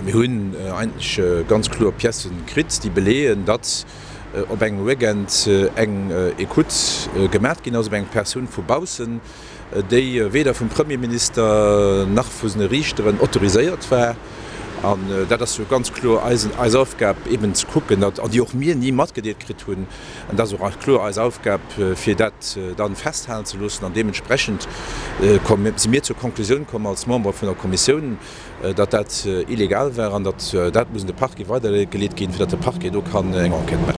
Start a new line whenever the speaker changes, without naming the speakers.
Mir hunn eigentlech ganz kloer Piècen kritt, déi beleeën, datt op engem Weekend eng Ecoute gemat ginn ass op eng Persoun vu baussen, déi weder vum Premierminister nach vu sene Riichteren autoriséiert war. An dat ass jo ganz kloer eis Aufgab, eben ze kucken, datt, an déi och mir ni matgedeelt kritt hunn, an dat ass och kloer eis Aufgab, fir dat dann festhalen ze loossen. An deementsprechend si mir zur Konklusioun komm als Member vun der Kommissioun, datt dat illegal war an datt dat muss un de Parquet weidergeleet ginn, fir datt de Parquet do kann eng Enquête maachen.